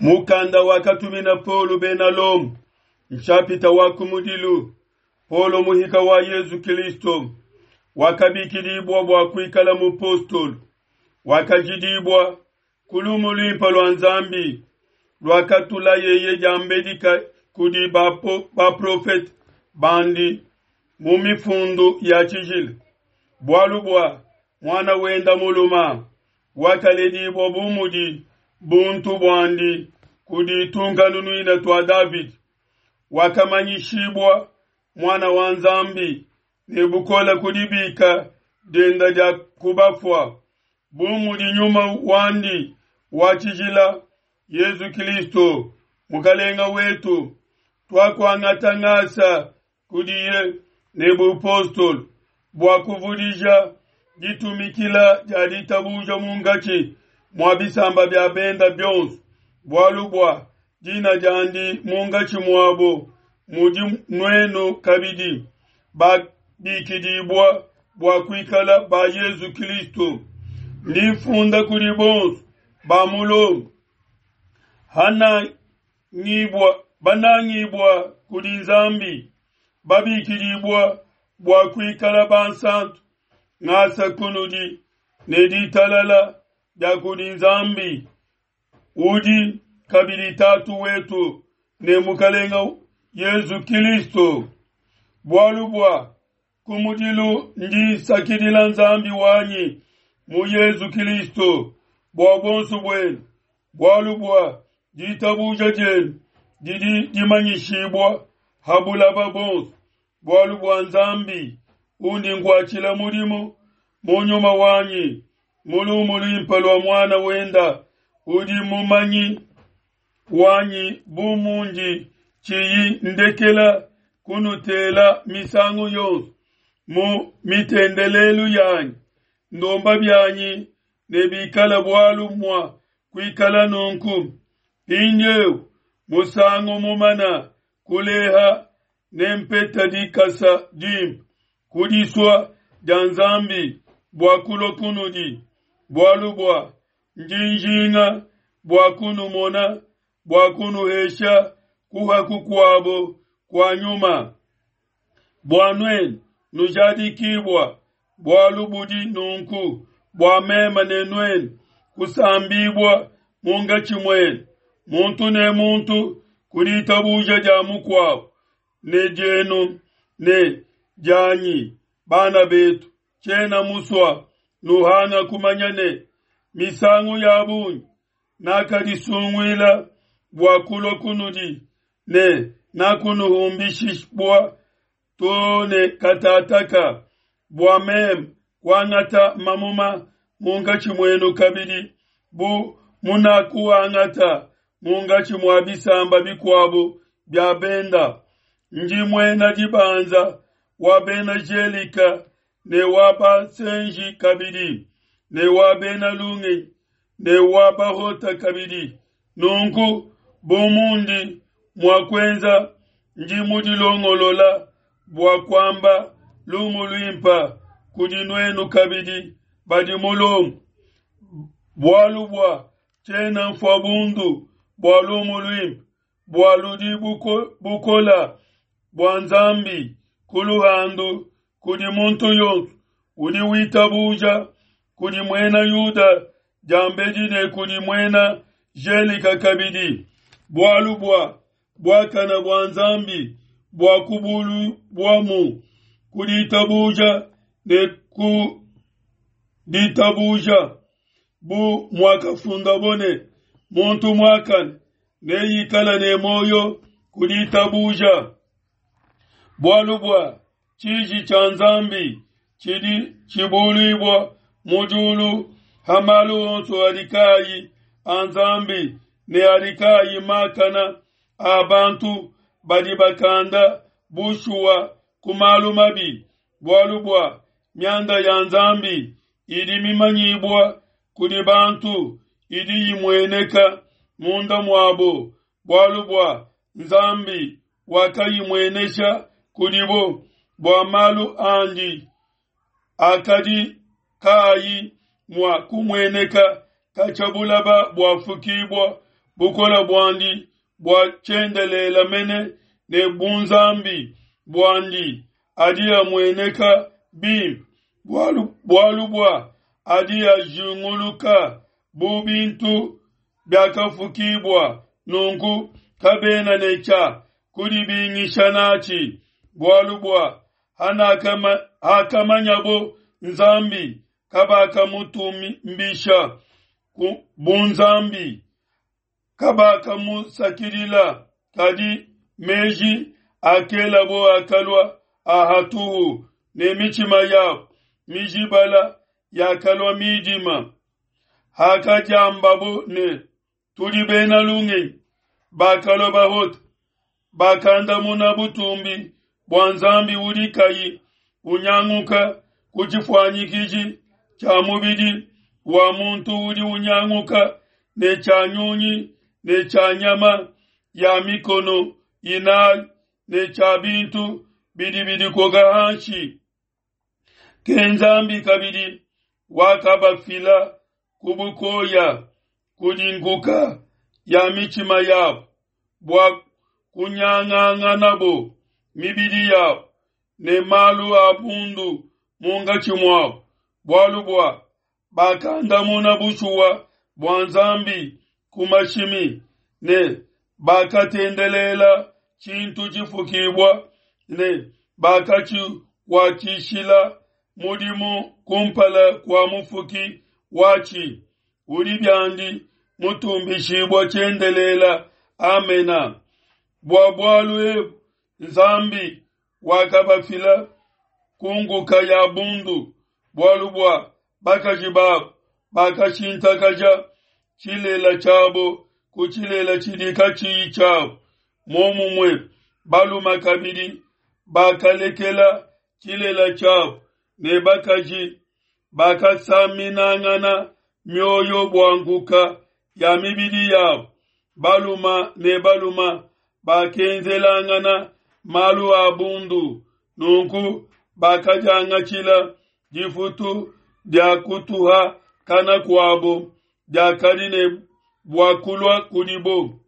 Mukanda wakatumina Paulo bena Lomo, nshapita wa kumudilu. Paulo muhika wa Yezu Kilisto, wakabikidibua bua kuikala mupostolo, wakajidibua ku lumu luimpe lua Nzambi luakatulayeye diambedi kudi baprofete bandi mu mifundu ya tshijila, bualu bua muana wenda muluma wakaledibua bu mudi buntu buandi kudi tunkanunuina tua Davidi, wakamanyishibua muana wa Nzambi ne bukole ku dibika dienda dia kubafua, bu mudi nyuma wandi wa tshijila Yezu Kilisto Mukalenga wetu, tuakuangata ngasa kudiye ne bupostolo bua kuvudija ditumikila dia ditabuja munkatshi mua bisamba bia benda bionso, bualu bua dina diandi munkatshi muabo mudi nuenu kabidi babikidibua bua kuikala ba Yezu Kilisto. Ndi mfunda kudi bonso ba mu Lomo, banangibua kudi Nzambi, babikidibua bua kuikala bansantu, ngasa kunudi ne ditalala dia kudi Nzambi udi kabidi Tatu wetu ne Mukalenga Yezu Kilisto. Bualu bua kumudilu ndi nsakidila Nzambi wanyi mu Yezu Kilisto bua buonso buenu, bualu bua ditabuja dienu didi dimanyishibua ha bulaba bonso, bualu bua Nzambi undi nkuatshila mudimu mu nyuma wanyi mu lumu luimpe lua muana wenda udi mumanyi wanyi bu mundi tshiyi ndekela kunutela misangu yonso mu mitendelelu yanyi, ndomba bianyi ne bikala bualu mua kuikala nunku. Mpindieu musangu mumana kuleha nempeta dikasa dimpe ku disua dia Nzambi bua kulua kunudi, bualu bua ndi njinga bua kunumona bua kunuhesha kuha kukuabo kua nyuma, bua nuenu nujadikibua bualu budi nunku, bua meme ne nuenu kusambibua munkatshi muenu, muntu ne muntu ku ditabuja dia mukuabo ne dienu ne dianyi. Bana betu, tshiena musua nuhanga kumanya ne misangu ya bungi nakadisunguila bua kulua kunudi ne nakunuhumbishibua to ne katataka, bua meme kuangata mamuma munkatshi muenu kabidi bu munakuangata munkatshi mua bisamba bikuabo bia benda. Ndi muena dibanza wa bena Gelika ne wa basenji kabidi ne wa bena lungenyi ne wa bahota kabidi. Nunku bu mundi mua kuenza, ndi mudilongolola bua kuamba lumu luimpe kudi nuenu kabidi badi mu Lomo, bualu bua tshiena mfua bundu bua lumu luimpe, bua ludi bukola bua Nzambi ku luhandu kudi muntu yonso udi witabuja, kudi muena Yuda diambedi ne kudi muena Gelika kabidi, bualu bua buakana bua Nzambi bua kubulubuamu ku ditabuja ne ku ditabuja, bu muakafundabo ne, muntu muakane neikale ne muoyo ku ditabuja. Bualu bua tshiji tshia Nzambi tshidi tshibuluibua mu diulu ha malu onso adi kaayi a Nzambi ne adi kaayi makana a bantu badi bakanda bushuwa ku malu mabi, bualu bua mianda ya Nzambi idi mimanyibua kudi bantu idi imueneka munda muabo, bualu bua Nzambi wakayimuenesha kudibo, bua malu andi akadi kaayi mua kumueneka katshia bulaba buafukibua. bukole buandi bua tshiendelele mene ne bunzambi buandi adi amueneka bimpe, bualu, bualu bua adi ajinguluka bu bintu biakafukibua, nunku kabena ne tshia kudibingisha natshi, bualu bua hakamanyabo Nzambi, kabakamutumbisha bu Nzambi, kabakamusakidila, kadi meji akelabo akalua a hatuhu, ne mitshima yabo mijibala yakalua midima. Hakadiambabo ne, Tudi bena lungenyi, bakalua bahote, bakandamuna butumbi bua Nzambi udi kayi unyanguka ku tshifuanyikiji tshia mubidi wa muntu udi unyanguka ne tshia nyunyi ne tshia nyama ya mikono inayi ne tshia bintu bidi bidikoka hanshi. Ke Nzambi kabidi wakabafila ku bukoya kudi nkuka ya mitshima yabo bua kunyanganganabo mibidi yabo ne malu a bundu munkatshi muabo, bualu bua bakandamuna bushuwa bua Nzambi ku mashimi ne bakatendelela tshintu tshifukibua ne bakatshikuatshishila mudimu kumpala kua Mufuki watshi, udi biandi mutumbishibua tshiendelela. Amena. Bua bualu ebu Nzambi wakabafila ku nkuka ya bundu, bualu bua bakaji babo bakashintakaja tshilela tshiabo ku tshilela tshidi katshiyi tshiabo. Muomumue balume kabidi bakalekela tshilela tshiabo ne bakaji bakasaminangana mioyo bua nkuka ya mibidi yabo. Balume ne balume bakenzelangana malu a bundu, nunku bakadiangatshila difutu dia kutuha kana kuabo diakadi ne bua kulua kudibo.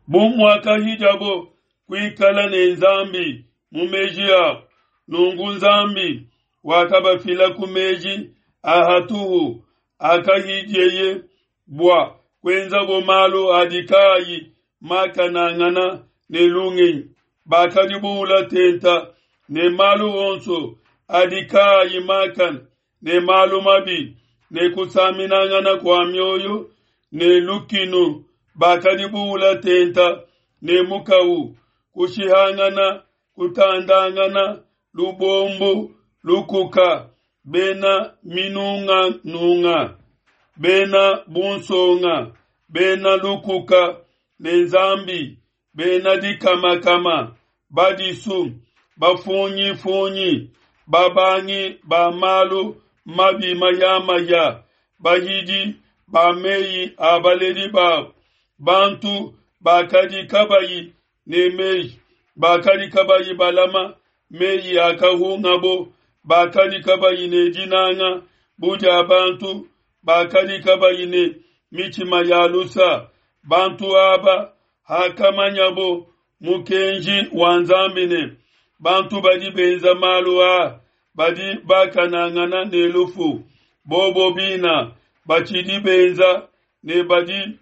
Bu muakahidiabo kuikala ne Nzambi mu meji abo, nunku Nzambi wakabafila ku meji a hatuhu akahidieye bua kuenzabo malu adi kaayi makanangana ne lungenyi. Bakadi buula tenta ne malu onso adi kaayi makane ne malu mabi ne kusaminangana kua mioyo ne lukinu, bakadi buula tenta ne mukawu, kushihangana, kutandangana, lubombu, lukuka, bena minunganunga, bena bunsonga, bena lukuka ne Nzambi, bena dikamakama, badisu, bafunyifunyi, babangi ba malu mabi mayamaya, bahidi ba meyi a baledi babo, bantu bakadi kabayi ne meji, bakadi kabayi balama meyi akahungabo, bakadi kabayi ne dinanga bu dia bantu, bakadi kabayi ne mitshima ya lusa. Bantu aba hakamanyabo mukenji wa Nzambi ne bantu badi benza malu aa badi bakanangana ne lufu, bobo bina batshidi benza ne badi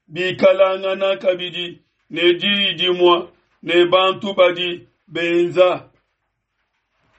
bikalangana kabidi ne diyi dimue ne bantu badi benza.